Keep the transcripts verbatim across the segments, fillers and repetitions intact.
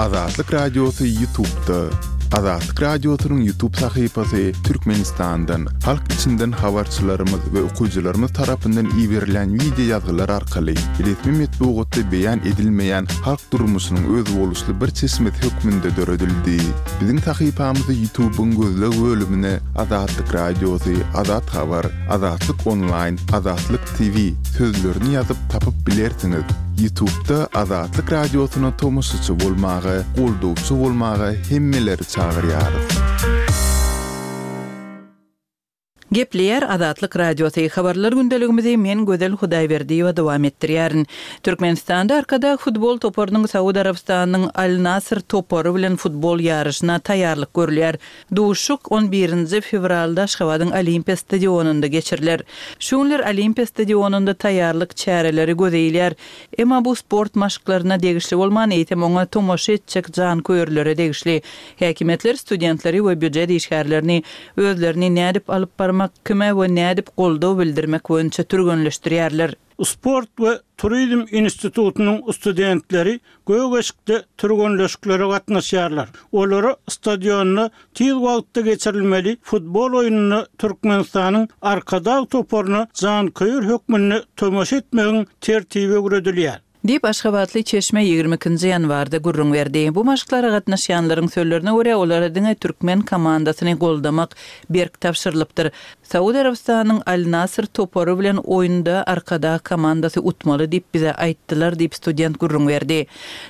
Azatlyk Radiosy YouTube'da. Azatlyk Radiosynyň YouTube sahypasy Türkmenistandan, halk içinden habarçylarymyz we okyjylarymyz tarapyndan iberilen wideo ýazgylar arkaly resmi metbugatda beýan edilmeýän halk durmuşynyň özboluşly bir çeşmesi hökmünde döredildi. Biziň sahypamyzy YouTube'yň gözleg bölümine Azatlyk Radiosy, Azat Habar, Azatlyk Online, Azatlyk T V sözlerini ýazyp tapyp bilersiňiz. YouTube'da Azatlyk Radiosyna tomaşaçy bolmaga, goldawçy bolmaga hemmeleri çagyrýarys. Gepleýär Azatlyk Radiosy. Habarlar gündeligimizi men Gözel Hudaýberdiýewa dowam etdirýärin. Türkmenistanda Arkadag futbol toparynyň Saud Arabystanynyň Al-Nasr topary bilen futbol ýaryşyna taýýarlyk görülýär. Duşuşyk on birinji fewralda Aşgabadyň Olimpiýa stadionynda geçiriler. Şu günler Olimpiýa stadionynda taýýarlyk çäreleri gözeýilýär. Emma bu sport maşklaryna degişli bolman, eýsem oňa tomaşa etjek janköýerlere degişli. Häkimiýetler studentleri we býujet işgärlerini özlerini nädip alyp barmak, kime we nädip goldaw bildirmek boýunça türgenleşdirýärler. Sport we Turizm institutynyň studentleri Gögeşikde türgenleşiklere gatnaşýarlar. Olara stadionda tiz wagtda geçirilmeli futbol oýnuna Türkmenistanyň Arkadag toparyna janköýer hökmünde tomaşa etmegiň tertibi öwredilýär. Diýip Aşgabatly çeşme ýigrimi ikinji ýanwarda gürrüň berdi. Bu maşklara gatnaşýanlaryň sözlerine görä olara diňe türkmen komandasyny goldamak berk tabşyrylypdyr. Saud Arabystanyň Al-Nasr topary bilen oýunda Arkadag komandasy utmaly diýip bize aýtdylar diýip student gürrüň berdi.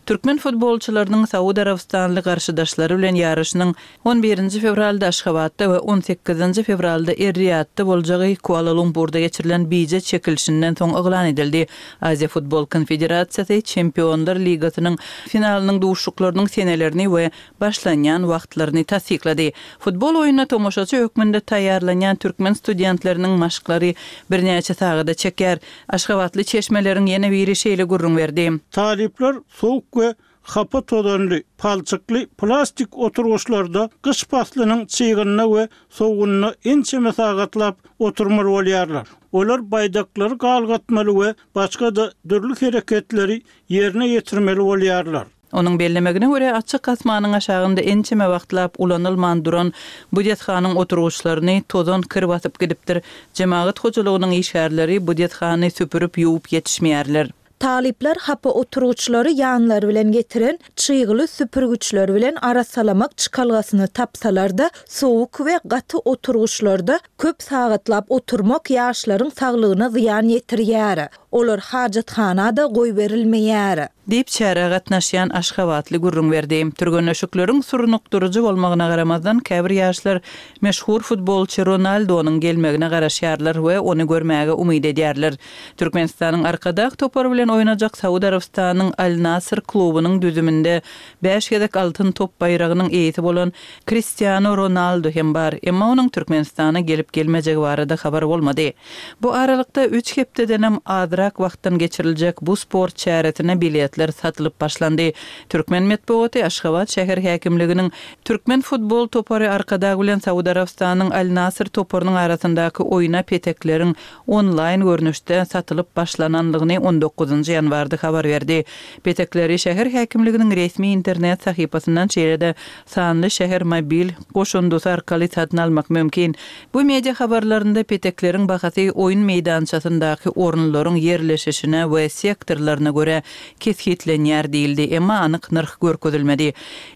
Türkmen futbolçylarynyň Saud Arabystanly garşydaşlary bilen ýaryşynyň on birinji fewralda Aşgabatda we on sekizinji fewralda Er-Riýadda boljagy Kuala-Lumpurda geçirilen bije çekilişinden soň yglan edildi. Aziýa Futbol Konfederasiýasy Çempionlar Ligasynyň finalynyň duşuşyklarynyň senelerini we başlanýan wagtlaryny tassyklady. Futbol oýnuna tomaşaçy hökmünde taýýarlanýan türkmen studentleriniň maşklary birnäçe sagada çeker. Aşgabatly çeşmeleriň ýene biri şeýle gürrüň berdi. Talyplar soğuk we hapa tozanly, palçykly plastik oturgyçlarda gyş paslynyň çygynda we soğuğunda ençeme sagatlap oturmaly bolýarlar. Olar baýdaklary galgatmaly we başga da dürli hereketleri ýerine ýetirmeli bolýarlar. Onuň bellemegine görä açyk asmanyň aşagynda ençeme wagtlap ulanylman duran bu desganyň oturgyçlaryny tozan kir basyp gidipdir. Jemagat hojalygynyň işgärleri bu desgany süpürip ýuwup ýetişmeýärler. Talyplar hapa oturgyçlary ýanlary bilen getiren çygly süpürgiçler bilen arasalamak çykalgasyny tapsalar-da, soğuk we gaty oturgyçlarda köp sagatlap oturmak ýaşlaryň saglygyna zyýan ýetirýär. Olar hajathana-da goýberilmeýär. Diýip çärä gatnaşýan Aşgabatly gürrüň berdi. Türgenleşikleriň surnukdyryjy bolmagyna garamazdan käbir ýaşlar meşhur futbolçy Ronaldonyň gelmegine garaşýarlar we ony görmäge umyt edýärler. Türkmenistanyň Arkadag topary bilen oýnajak Saud Arabystanyň Al-Nasr klubunyň düzüminde bäş gezek altyn top baýragynyň eýesi bolan Cristiano Ronaldo hem bar. Emma onuň Türkmenistana gelip gelmejegi barada habar bolmady. Bu aralykda üç hepdedenem azrak wagtdan geçiriljek bu sport çäresine biletler satylyp başlandy. Türkmen metbugaty Aşgabat şäher häkimliginiň Türkmen futbol topary Arkadag bilen Saud Arabystanyň Al-Nasr toparynyň arasyndaky oýna petekleriň onlaýn görnüşde satylyp başlananlygyny on dokuzynjy ýanwarda habar berdi. Petekleri şäher häkimliginiň resmi internet sahypasyndan şeýle-de sanly şäher mobil goşundysy arkaly satyn almak mümkin. Bu media habarlarynda petekleriň bahasy oýun meýdançasyndaky orunlaryň ýerleşişine we sektorlaryna görä kesgitlenýär diýildi, emma anyk nyrh görkezilmedi.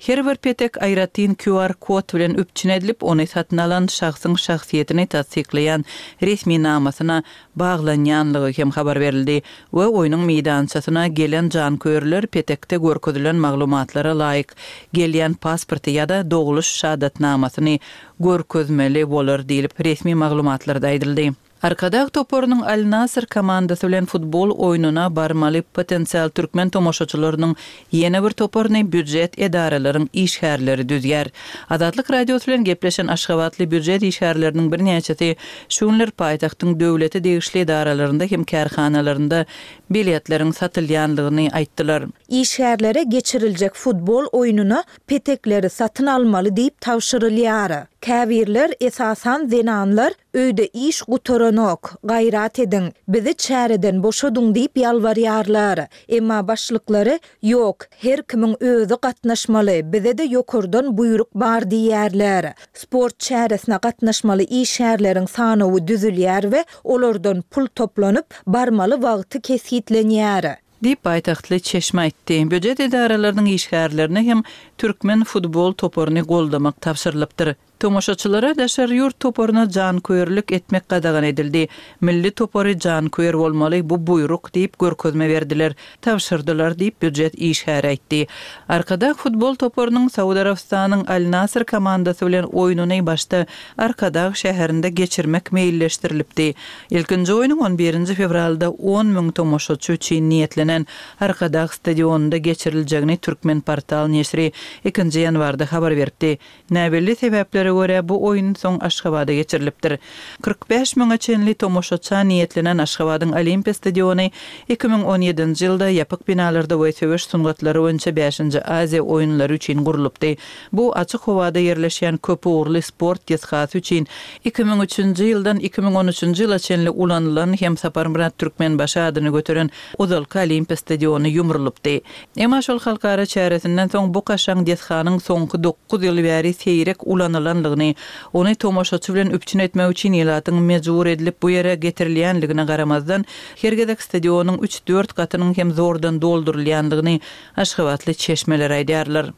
Her bir petek aýratyn Q R kod bilen üpjün edilip, ony satyn alan şahsyň şahsyýetini tassyklaýan resmi namasyna baglanýanlygy hem habar berildi we oýnuň meýdançasyna gelen janköýerler petekde görkezilen maglumatlara laýyk gelýän pasporty ýa-da doguluş şahadatnamasyny görkezmeli bolar diýilip resmi maglumatlarda aýdyldy. Arkadag toparynyň Al-Nasr komandasy bilen futbol oýnuna barmaly potensial türkmen tomaşaçylarynyň ýene bir toparyny býujet edaralaryň işgärleri düzýär. Azatlyk Radiosy bilen gepleşen Aşgabatly býujet işgärleriniň birnäçesi şu günler paýtagtyň döwlete degişli edaralarynda hem kärhanalarynda biletleriň satylýanlygyny aýtdylar. Işgärlere geçiriljek futbol oýnuna petekleri satyn almaly diýip tabşyrylýar. Käbirler, esasan zenanlar öýde iş gutarandan bolanok, gaýrat ediň, bizi çäreden boşadyň diýip ýalbarýarlar. Emma başlyklary, Ýok, her kimiň özi gatnaşmaly, bize-de ýokardan buýruk bar diýýärler. Sport çäresine gatnaşmaly işgärleriň sanawy düzülýär we olardan pul toplanyp, barmaly wagty kesgitlenýär. Diýip, paýtagtly çeşme aýtdy. Býujet edaralarynyň işgärlerine hem türkmen futbol toparyny goldamak tabşyrylypdyr. Tomaşaçylara daşary ýurt toparyna janköýerlik etmek gadagan edildi. Milli topary janköýer bolmaly, bu buýruk diýip görkezme berdiler, tabşyrdylar diýip, býujet işgäri aýtdy. Arkadag futbol toparynyň Saud Arabystanyň Al-Nasr komandasy bilen oýnuny başda Arkadag şäherinde geçirmek meýilleşdirilipdi. Ilkinji oýnuň on birinji fewralda on müň tomaşaçy üçin niýetlenen Arkadag stadionynda geçiriljegini Türkmenportal neşiri ikinji ýanwarda habar beripdi. Näbelli sebäplere görä bu oýun soň Aşgabada geçirilipdir. Kyrk bäş müňe çenli tomaşaça niýetlenen Aşgabadyň Olimpiýa stadiony iki müň on ýedinji ýylda ýapyk binalarda we söweş sungatlary boýunça bäşinji Aziýa oýunlary üçin gurlupdy. Bu açyk howada ýerleşýän köpugurly sport desgasy üçin iki müň üçünji ýyldan iki müň on üçünji ýyla çenli ulanylan hem Saparmyrat Türkmenbaşy adyny göteren ozalky Olimpiýa stadiony ýumrulypdy. Emma şol halkara çäresinden soň bu kaşaň desganyň soňky dokuz ýyl bäri seýrek ulanylanlygyny, ony tomaşaçy bilen üpjün etmek üçin ilatyň mejbur edilip bu ýere getirilýänligine garamazdan, her gezek stadionyň üç-dört gatynyň hem zordan doldurylýanlygyny aşgabatly çeşmeler aýdýarlar.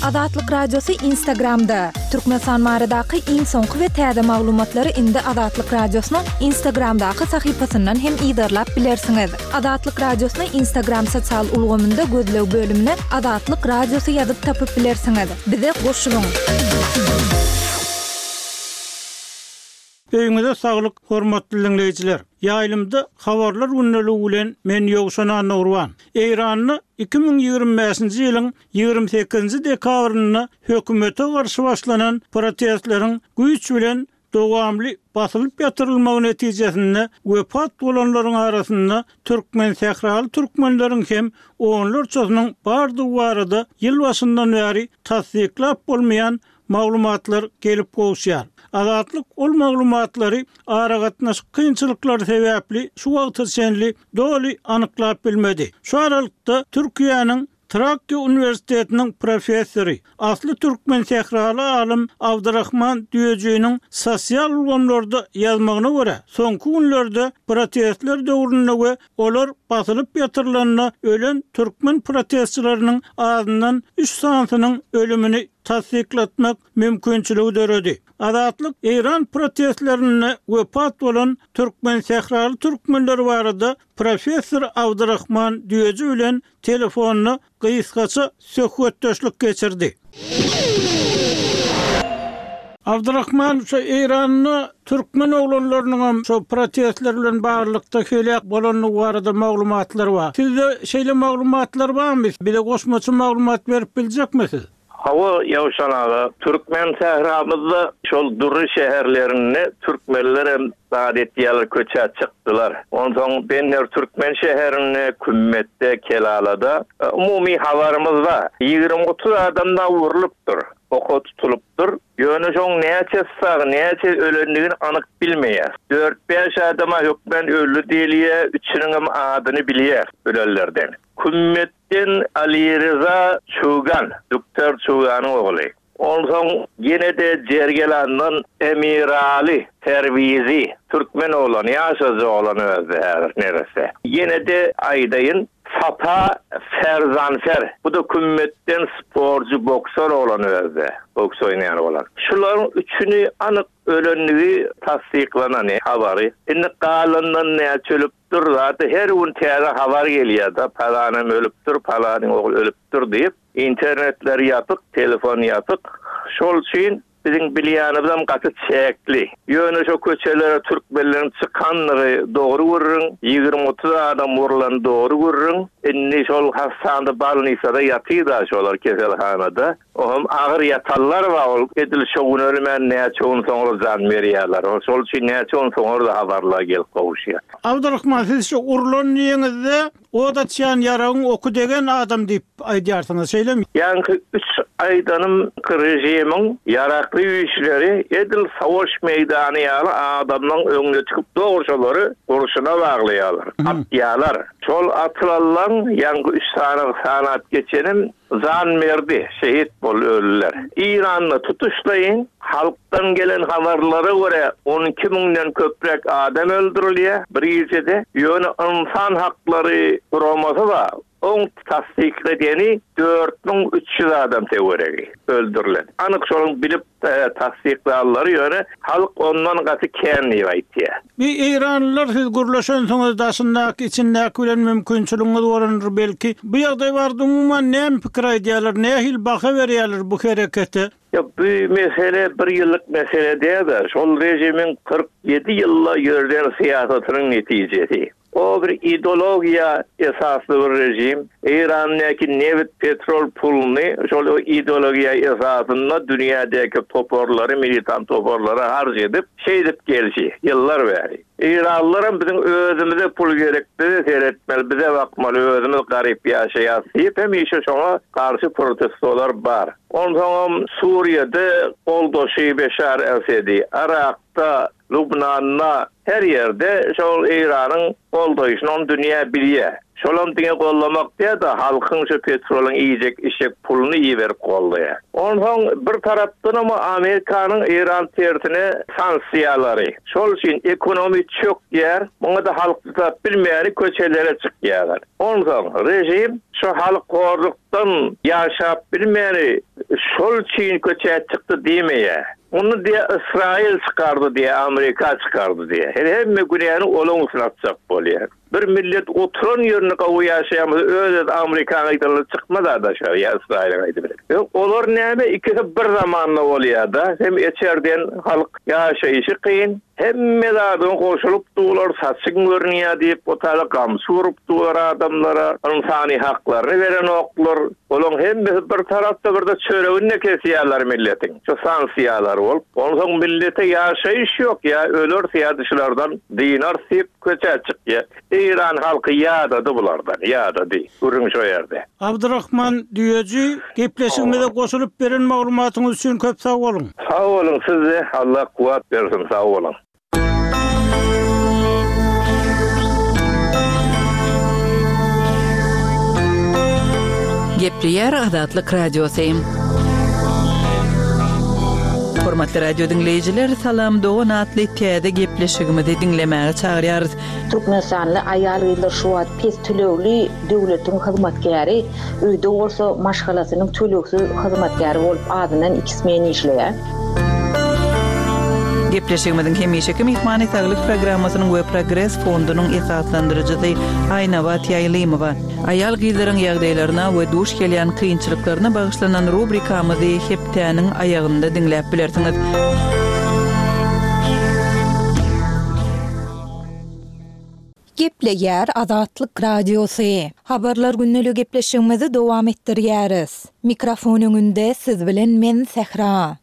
Azatlyk Radiosy Instagramda. Türkmenistan baradaky iň soňky we täze maglumatlary indi Azatlyk Radiosynyň Instagramdaky sahypasyndan hem yzarlap bilersiňiz. Azatlyk Radiosyny Instagram sosial ulgamynda gözleg bölümine Azatlyk Radiosy ýazyp tapyp bilersiňiz. Bize goşulyň. Öýüňize saglyk, hormatly diňleýjiler. Ýaýlymda habarlar gündeligi bilen men Ýowşan Annagurban. Eýranda iki müň ýigrimi bäşinji ýylyň ýigrimi sekizinji dekabrynda hökümete garşy başlanan protestleriň güýç bilen dowamly basylyp ýatyrylmagy netijesinde wepat bolanlaryň arasynda türkmen sähraly türkmenleriň hem onlarçasynyň bardygy barada ýyl başyndan bäri tassyklap bolmaýan maglumatlar gelip gowuşýar. Azatlyk ol maglumatlary aragatnaşyk kynçylyklary sebäpli şu wagta çenli doly anyklap bilmedi. Şu aralykda Türkiýäniň Trakya Uniwersitetiniň professory, asly türkmen sähraly alym Abdurrahman Düýejiniň sosial ulgamlarda ýazmagyna görä, soňky günlerde protestler döwründe we olar basylyp ýatyrylanda ölen türkmen protestçileriniň azyndan üç sanysynyň ölümini tassyklatmak mümkinçiligi döredi. Azatlyk Eýran protestlerinde wepat bolan türkmen sähraly türkmenler barada professor Abdurrahman Düýeji bilen telefonda gysgaça söhbetdeşlik geçirdi. Abdurrahman, şu Eýranda türkmen oglanlarynyň hem şu protestler bilen baglylykda heläk bolanlygy barada maglumatlar bar. Sizde şeýle maglumatlar barmy? Bize goşmaça maglumat berip biljekmisiz? Hawa, Ýowşan aga, türkmen sähramyzda şol dury şäherlerinde türkmenler hem zat etýärler, köçä çykdylar. Onsoň benler türkmen şäherinde, Kümmetde, Kelalada, e, umumy habarymyz bar. Ýigrimi otuz adam da vurulypdyr, oka tutulypdyr. Ýöne şoň näçe sag, näçe ölendigini anyk bilmeýär. Dört bäş adama hökmen öldi diýilýär, üçüniň hem adyny bilýär ölenlerden. Kümmetden Ali Reza Çugan, Doktor Çuganyň ogly. Onsoň ýene-de Jergelandan Emirali Terwizi, türkmen oglan, ýaşajy oglan özde häzir neresi. Ýene-de aýdaýyn Sapa Ferzanfer. Bu da Kümmetden sporcu boksör oglan özde, boks oýnaýan oglan. Şularyň üçüni anyk ölenligi tassyklanan habary. Indi galandan näçe ölüpdir, zaten her gün täze habar gelýär da, palanam ölüpdir, palanyň ogly ölüpdir diýip, internetler ýapyk, telefon ýapyk. Şol üçin biziň bilýänimizem gaty çäkli. Ýöne şo köçelere türkmenleriň çykanlygy dogry görüň, ýigrimi otuz adam vurulan dogry görüň. Indi şol hassanda balnisada ýatyda şolar keselhanada. Ohm agyr ýatanlar bar ol edil şo gün ölmän näçe gün soňra jan berýärler. Ol şol üçin näçe gün soňra da habarlar gelip gowuşýar. Abdurrahman siz şu urlan diýeňizde o da çan ýaragyň oku degen adam diýip aýdýarsyňyz, şeýlemi? Ýaňky üç aýdanym rejimiň ýarakly güýçleri edil savaş meýdany ýaly adamlaryň öňüne çykyp dogry gurşuna baglaýarlar, atýarlar. Şol atylanlaň ýaňky üç sany sanat geçenim zan berdi, şehit bol öldüler. İran'da tutuşlayın halktan gelen habarlara göre on iki müňden köprek adam öldürülýär bir gijede. Ýöne insan haklary guramasy bar. Oň tasdikledeni dört müň üç ýüz adam teweregi öldürülen. Anyk şonuň bilip, e, tasdiklanlary ýöne halk ondan gaty kän diýip aýtýar. Bir İranlylar siz gürleşensiňiz daşyndaky içindäki bilen mümkinçiligiňiz bolandyr belki. Bu ýagdaý barada umuman näme pikir aýdýarlar, nähili baha berýärler bu herekete? Ya bu mesele bir ýyllyk mesele däl-de, şol rejimin kyrk ýedi ýylla ýörden syýasatynyň netijesi. O bir ideologiýa esasly bir rejim. İran'daki neft, petrol pulunu şol o ideologiýa esasynda dünýädäki toparlary, militant toparlary harç edip, şeýdip gelşi ýyllar bäri. İranlylaram biziň özümize pul gerek, bize seyretmeli, bize bakmaly, özümiz garip ýaşaýas diýip hemişe şoňa garşy protestolar bar. Onsoňam Suriýede goldaşy Beşar Esedi, Irakda, Lübnanda her ýerde şol İranyň goldaşyny on dünýä bilýär. Şolam diňe gollamak diýe-de halkyň şu petrolyň iýjek işek puluny iberip gollaýar. Onsoň bir tarapdan ama Amerikanyň İran tersine sanksiýalary. Şol üçin ekonomi çökýär, muňa da halk tutup bilmeýän köçelere çykýarlar. Onsoň rejim şu halk horlukdan ýaşap bilmeýän şol üçin köçe çykdy diýmeýär. Onu diýe İsrail çykardy diýe, Amerika çykardy diýe. Her hemme günäni olaň üstüne atjak bolýar. Bir millet oturan ýerine gawy ýaşaýamyz, öz-öz Amerikanyň aýdanyny çykmaz adaşar, ýa İsrailiň aýdyp bilen. Ýok, olar näme ikisi bir zamanda bolýar-da, hem içerden halk ýaşaýşy kyn, hemme zadyň goşulyp dular, saçyň görünýär diýip, otala gamçy urup dular adamlara, ynsany haklaryny beren oklar, olaň hemmesi bir tarapda bir de çöregini kesýärler milletiň. Şu sanksiýalar bolup, onsoň millete ýaşaýyş ýok, ýa öler syýadyşlardan dinar diýip köçe çykýar. İran halky ýadady bulardan, ýadady. Gürrüň şo ýerde. Abdurrahman Düýeji, gepleşigimize goşulyp beren maglumatyňyz üçin köp sag boluň. Sag boluň size, Allah kuwwat bersin, sag boluň. Gepleýär Azatlyk Radiosy. Hormatly radio diňleýjiler, Salam Dogan atly täze gepleşigimizi diňlemäge çagyrýarys. Türkmenistanly aýal-gyzlar şu wagt pes tölegli döwletiň hyzmatkäri, öýde bolsa maşgalasynyň tölegsiz hyzmatkäri bolup azyndan iki smen işleýär. Gepleşigimiziň hemişeki myhmany saglyk programmasynyň we Progres fondunyň esaslandyryjysy Aýnabat Ýaýlymowa. Aýal-gyzlaryň ýagdaýlaryna we duş gelýän kynçylyklaryna bagyşlanan rubrikamyzy hepdäniň aýagynda diňläp bilersiňiz. Gepleýär Azatlyk Radiosy. Habarlar günlük gepleşigimizi dowam etdirýäris. Mikrofon öňünde siz bilen men Sähra.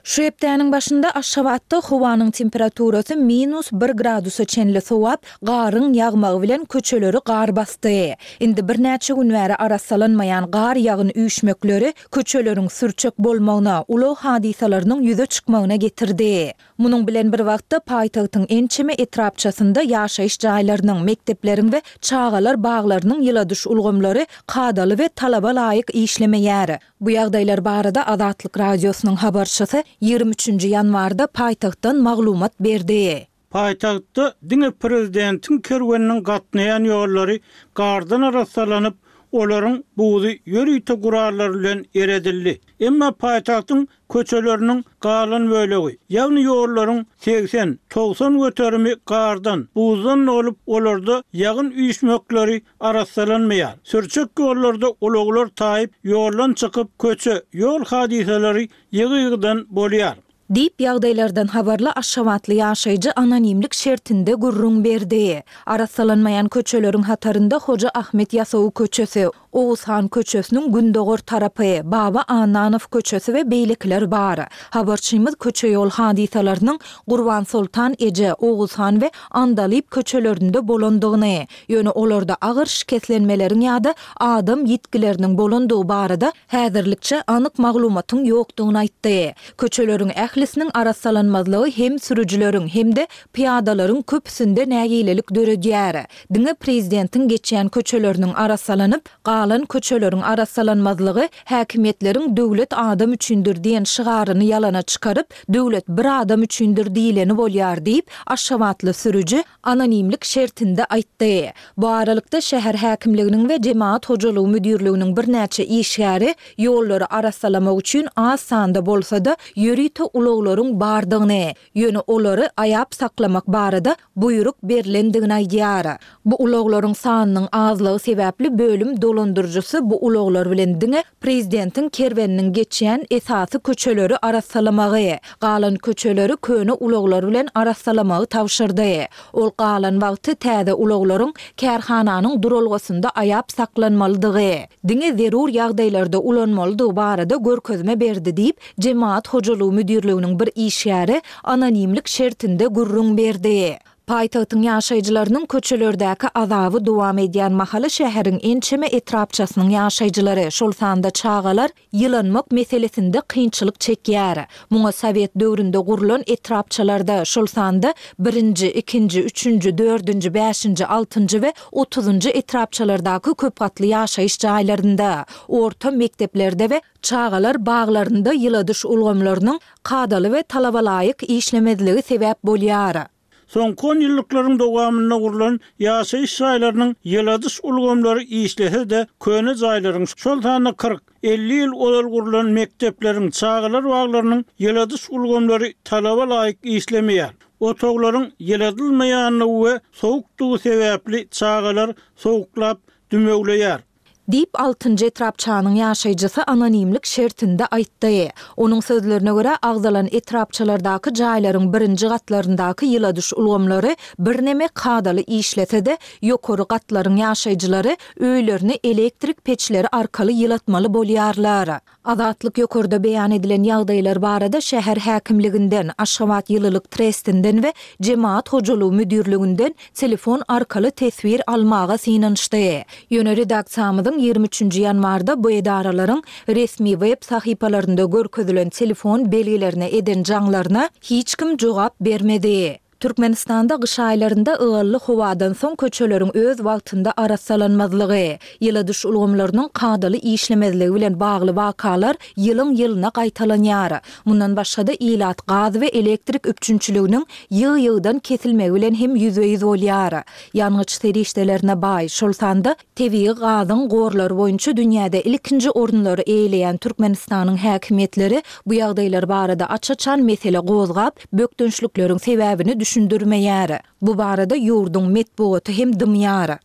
Şu hepdäniň başynda Aşgabatda howanyň temperaturasy minus bir gradusa çenli sowap, garyň ýagmagy bilen köçeleri gar basdy. Indi birnäçe gün bäri arassalanmaýan gar ýagyn üýşmekleri köçeleriň sürçek bolmagyna, ulag hadysalarynyň ýüze çykmagyna getirdi. Munuň bilen bir wagtda paýtagtyň ençeme etrapçasynda ýaşaýyş jaýlarynyň, mekdepleriň we çagalar baglarynyň ýyladyş ulgamlary kadaly we talaba laýyk işlemeýär. Bu ýagdaýlar barada Azatlyk Radiosynyň habarçysy ýigrimi üçünji ýanwarda paýtagtdan maglumat berdi. Paýtagtda diňe prezidentiň kerweniniň gatnaýan ýollary gardan arassalanyp, olaryň buzy ýörite gurallar bilen eredildi. Emma paýtagtyň köçeleriniň galan bölegi, ýagny ýollaryň seksen togsan göterimi gardan, buzdan bolup, olarda ýagyn üýşmekleri arassalanmaýar. Sürçek ýollarda ulaglar taýyp, ýoldan çykyp, köçe, ýol hadysalary ýygy-ýygydan bolýar. Diýip, ýagdaýlardan habarly aşgabatly ýaşaýjy anonimlik şertinde gürrüň berdi. Arassalanmaýan köçeleriň hatarynda Hoja Ahmet Ýasawy köçesi, Oguzhan köçesiniň gündogar tarapy, Baba Annanow köçesi we beýlekiler bar. Habarçymyz köçe-ýol hadysalarynyň Gurbansoltan eje, Oguzhan we Andalyp köçelerinde bolandygyny, ýöne olarda agyr şikeslenmeleriň ýa-da adam ýitgileriniň bolandygy barada häzirlikçe anyk maglumatyň ýokdugyny aýtdy. Köçeleriň ählisiniň arassalanmazlygy hem sürüjileriň, hem-de pyýadalaryň köpüsinde nägilelik döredýär. Diňe prezidentiň geçýän köçeleriniň arassalanyp, galan köçeleriň arassalanmazlygy häkimiýetleriň Döwlet adam üçindir diýen şygaryny ýalana çykaryp, Döwlet bir adam üçindir diýleni bolýar diýip, aşgabatly sürüji anonimlik şertinde aýtdy. Bu aralykda, şäher häkimliginiň we jemagat hojalygy müdirliginiň birnäçe işgäri ýollary arassalamak üçin az sanda bolsa-da, ýörite ulaglaryň bardygyny, ýöne olary aýap saklamak barada buýruk berlendigini aýdýar. Bu ulaglaryň sanynyň azlygy sebäpli bölüm dolandyryjysy bu ulaglar bilen diňe prezidentiň kerweniniň geçýän esasy köçeleri arassalamagy, galan köçeleri köne ulaglar bilen arassalamagy tabşyrdy. Ol galan wagty täze ulaglaryň kärhananyň duralgasynda aýap saklanmalydygy, diňe zerur ýagdaýlarda ulanmalydygy barada görkezme berdi diýip, Jemagat hojalygy müdirliginiň bir işgäri anonimlik şertinde gürrüň berdi. Paýtagtyň ýaşaýjylarynyň köçelerdäki azaby dowam edýän mahaly şäheriň ençeme etrapçasynyň ýaşaýjylary, şol sanda çagalar ýylanmak meselesinde kynçylyk çekýär. Muňa sowet döwründe gurlan etrapçalarda, şol sanda birinji, ikinji, üçünji, dördünji, bäşinji, altynjy we otuzynjy etrapçalardaky köpgatly ýaşaýyş jaýlarynda, orta mekdeplerde we çagalar baglarynda ýyladyş ulgamlarynyň kadaly we talabalaýyk işlemezligi sebäp bolýar. Soňky onýyllyklaryň dowamynda gurlan ýaşaýyş jaýlarynyň ýyladyş ulgamlary işlese-de, köne jaýlaryň, şol sanda kyrk, elli ýyl ozal gurlan mekdepleriň, çagalar baglarynyň ýyladyş ulgamlary talaba laýyk işlemeýär. Otaglaryň ýyladylmaýandygy we sowukdygy sebäpli çagalar sowuklap, dümewleýär. Diýip, altynjy etrapçanyň ýaşaýjysy anonimlik şertinde aýtdy. Onuň sözlerine görä, agzalan etrapçalardaky jaýlaryň birinji gatlaryndaky ýyladyş ulgamlary birneme kadaly işlese-de, ýokary gatlaryň ýaşaýjylary öýlerini elektrik peçleri arkaly ýylatmaly bolýarlar. Azatlyk ýokarda beýan edilen ýagdaýlar barada şäher häkimliginden, Aşgabat ýylylyk trestinden we Jemagat hojalygy müdirliginden telefon arkaly teswir almaga synanyşdy. Ýöne redaksiýamyzyň ýigrimi üçünji ýanwarda bu edaralaryň resmi web sahypalarynda görkezilen telefon belgilerine eden jaňlaryna hiç kim jogap bermedi. Türkmenistanda gyş aýlarynda ygally howadan soň köçeleriň öz wagtynda arassalanmazlygy, ýyladyş ulgamlarynyň kadaly işlemezligi bilen bagly wakalar ýylyň-ýylyna gaýtalanýar. Mundan başga-da, ilat gaz we elektrik üpjünçiliginiň ýygy-ýygydan kesilmegi bilen hem ýüzbe-ýüz bolýar. Ýangyç serişdelerine baý, şol sanda tebigy gazyň gorlary boýunça dünýäde ilkinji orunlary eýeleýän Türkmenistanyň häkimiýetleri bu ýagdaýlar barada aç-açan mesele gozgap, bökdençlikleriň sebäbini düşündirmeýär. Bu barada ýurduň metbugaty hem dymýar.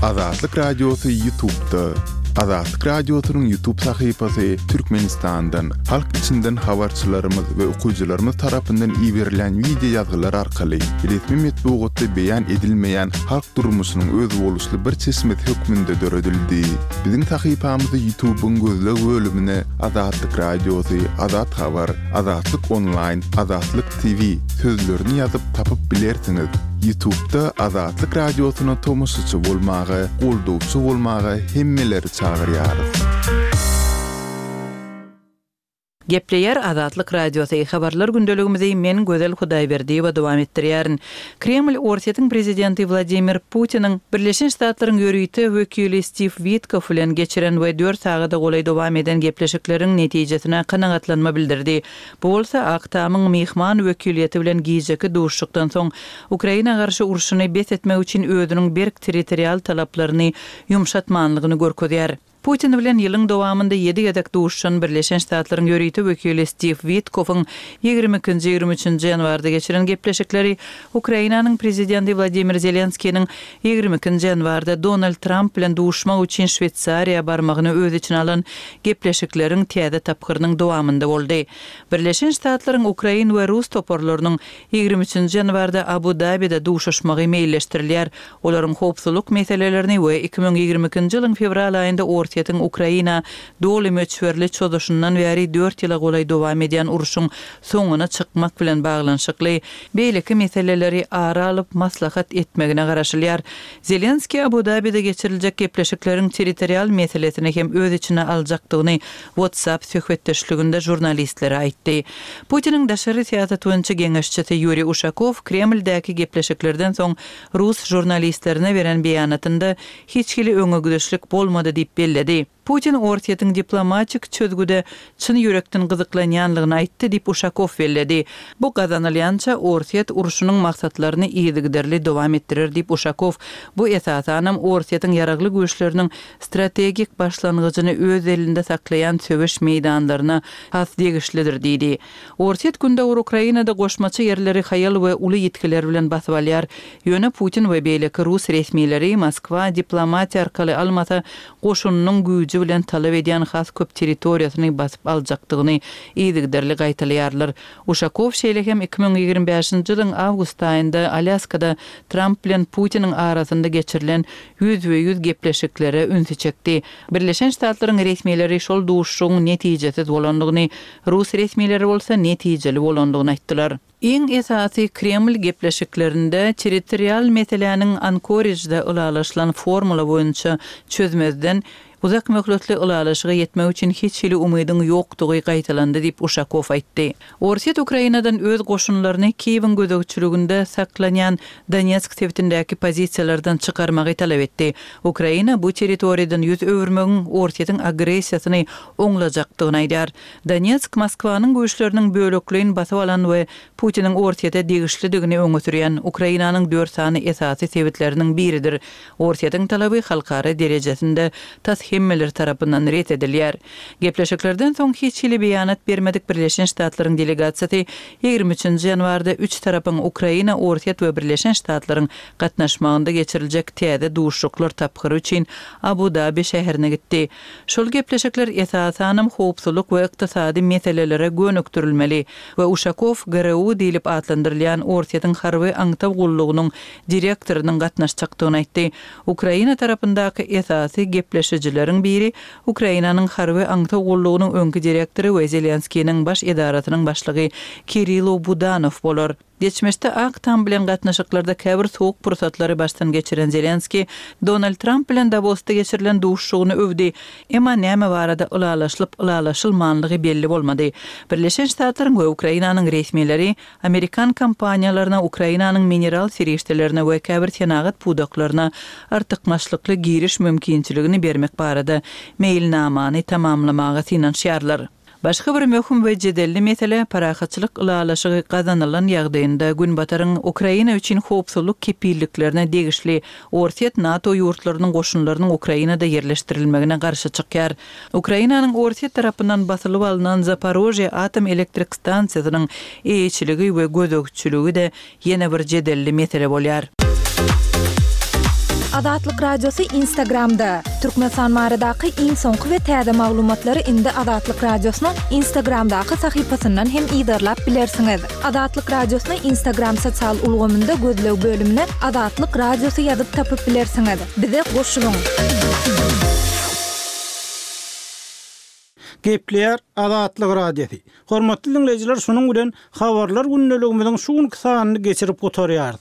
Azatlyk Radiosy Ýutubda. Azatlyk Radiosynyň Ýutub sahypasy Türkmenistandan, halk içinden habarçylarymyz we okyjylarymyz tarapyndan iberilen wideo ýazgylar arkaly resmi metbugatda beýan edilmeýän halk durmuşynyň özboluşly bir çeşmesi hökmünde döredildi. Biziň sahypamyzy Ýutubyň gözleg bölümine Azatlyk Radiosy, Azat Habar, Azatlyk Onlaýn, Azatlyk TV sözlerini ýazyp tapyp bilersiňiz. Ýutubda Azatlyk Radiosyna tomaşaçy bolmaga, goldawçy bolmaga hemmeleri çagyrýarys. Gepleýär Azatlyk Radiosy, Habarlar gündeligimizi men Gözel Hudaýberdiýewa dowam etdirýärin. Kreml Orsýetiň prezidenti Wladimir Putiniň Birleşen Ştatlaryň ýörite wekili Stiw Witkoff bilen geçiren we dört sagada golaý dowam eden gepleşikleriň netijesine kanagatlanma bildirdi. Bu bolsa Ak Tamyň myhman wekiliýeti bilen gijeki duşuşykdan soň Ukraina garşy urşuny bes etmek üçin özüniň berk territorial talaplaryny ýumşatmanlygyny görkezýär. Putin bilen ýylyň dowamynda ýedi gezek duşuşan Birleşen Ştatlaryň ýörite wekili Stiw Witkoffyň ýigrimi ikinji, ýigrimi üçünji ýanwarda geçiren gepleşikleri Ukrainanyň prezidenti Wladimir Zelenskiniň ýigrimi ikinji ýanwarda Donald Tramp bilen duşmak üçin Şweýsariýa barmagyny öz içine alan gepleşikleriň täze tapgyrynyň dowamynda boldy. Birleşen Ştatlaryň ukrain we rus toparlarynyň ýigrimi üçünji ýanwarda Abu-Dabide duşuşmagy meýilleşdirilýär. Olaryň howpsuzlyk meselelerini we iki müň ýigrimi ikinji ýylyň fewral aýynda Orsýetiň Ukraina doly möçberli çozuşyndan bäri dört ýyla golaý dowam edýän urşuň soňuna çykmak bilen baglanyşykly beýleki meseleleri ara alyp maslahat etmegine garaşylýar. Zelenskiý Abu-Dabide geçiriljek gepleşikleriň territorial meselesini hem öz içine aljakdygyny WhatsApp söhbetdeşliginde žurnalistlere aýtdy. Putiniň daşary syýasat boýunça geňeşçisi Ýuriý Uşakow Kremldäki gepleşiklerden soň rus žurnalistlerine beren beýanatynda hiç hili öňegidişlik bolmady diýip belledi. Putin Orsýetiň diplomatik çözgüde çyn ýürekden gyzyklanýanlygyny aýtdy diýip Uşakow belledi. Bu gazanylýança Orsýet urşunyň maksatlaryny yzygiderli dowam etdirer diýip Uşakow bu esasanam Orsýetiň ýaragly güýçleriniň strategik başlangyjyny öz elinde saklaýan söweş meýdanlaryna has degişlidir diýdi. Orsýet Gündogar Ukrainada goşmaça ýerleri haýal we uly ýitgiler bilen basyp alýar. Ýöne Putin we beýleki rus resmileri Moskwa diplomatiýa arkaly almasa goşunynyň güýji bilen talap edýän has köp territoriýasyny basyp aljakdygyny yzygiderli gaýtalaýarlar. Uşakow şeýle hem iki müň ýigrimi bäşinji ýylyň awgust aýynda Alýaskada Tramp bilen Putiniň arasynda geçirilen ýüzbe-ýüz gepleşiklere ünsi çekdi. Birleşen Ştatlaryň resmileri şol duşuşygyň netijesiz bolandygyny, rus resmileri bolsa netijeli bolandygyny aýtdylar. Iň esasy Kreml gepleşiklerinde territorial meseläniň Ankorijde ylalaşylan formula boýunça çözmezden uzak möhletli ylalaşyga ýetmek üçin hiç hili umydyň ýokdugy gaýtalandy diýip Uşakow aýtdy. Orsýet Ukrainadan öz goşunlaryny Kiýewiň gözegçiliginde saklanýan Donetsk sebitindäki pozisiýalardan çykarmagy talap etdi. Ukraina bu territoriýadan ýüz öwürmegiň Orsýetiň agressiýasyny oňlajakdygyny aýdýar. Donetsk Moskwanyň güýçleriniň bölekleýin basyp alan we Putiniň Orsýete degişlidigini öňe sürýän Ukrainanyň dört sany esasy sebitleriniň biridir. Orsýetiň talaby halkara derejesinde tas hemmeler tarapyndan ret edilýär. Gepleşiklerden soň hiç hili beýanat bermedik Birleşen Ştatlaryň delegasiýasy ýigrimi üçünji ýanwarda üç tarapyň Ukraina, Orsýet we Birleşen Ştatlaryň gatnaşmagynda geçiriljek täze duşuşyklar tapgyry üçin Abu-Dabi şäherine gitdi. Şol gepleşikler esasanam howpsuzlyk we ykdysady meselelere gönükdirilmeli we Uşakow G R U diýlip atlandyrylýan Orsýetiň harby aňtaw gullugynyň direktorynyň gatnaşjakdygyny aýtdy. Ukraina tarapyndaky esasy gepleşijileriň biri Ukrainanyň harby aňtaw gullugynyň öňki direktory we Zelenskiniň baş edarasynyň başlygy Kirilo Budanow bolar. Geçmişde Ak Tam bilen gatnaşyklarda käbir soğuk pursatlary başdan geçiren Zelenski, Donald Trump bilen Davosda geçirilen duşuşygyny övdi. Emma näme barada ylalaşylyp ylalaşylmanlygy belli bolmady. Birleşen Ştatlaryň we Ukrainanyň resmileri Amerikan kompaniýalaryna Ukrainanyň mineral serişdelerine we käbir senagat pudaklaryna artykmaçlykly giriş mümkinçiligini bermek barada meýilnamany tamamlamaga synanyşýarlar. Başga bir möhüm we jedelli mesele parahatçylyk ylalaşygy gazanylan ýagdaýynda Günbataryň Ukraina üçin howpsuzlyk kepilliklerine degişli Orsýet NATO ýurtlarynyň goşunlarynyň Ukrainada ýerleşdirilmegine garşy çykýar. Ukrainanyň Orsýet tarapyndan basylyp alynan Zaporožýe atom elektrik stansiýasynyň eýeçiligi we gözegçiligi de ýene bir jedelli mesele bolýar. Azatlyk Radiosy Instagramda. Türkmenistan baradaky iň soňky we täze maglumatlary indi Azatlyk Radiosynyň Instagramdaky sahypasyndan hem yzarlap bilersiňiz. Azatlyk Radiosyny Instagram sosial ulgamynda gözleg bölümine Azatlyk Radiosy ýazyp tapyp bilersiňiz. Bize goşulyň. Gepleýär Azatlyk Radiosy. Hormatly dinleýjiler, şunuň bilen habarlar gündeligimiziň şu günki sanyny geçirip gutarýarys.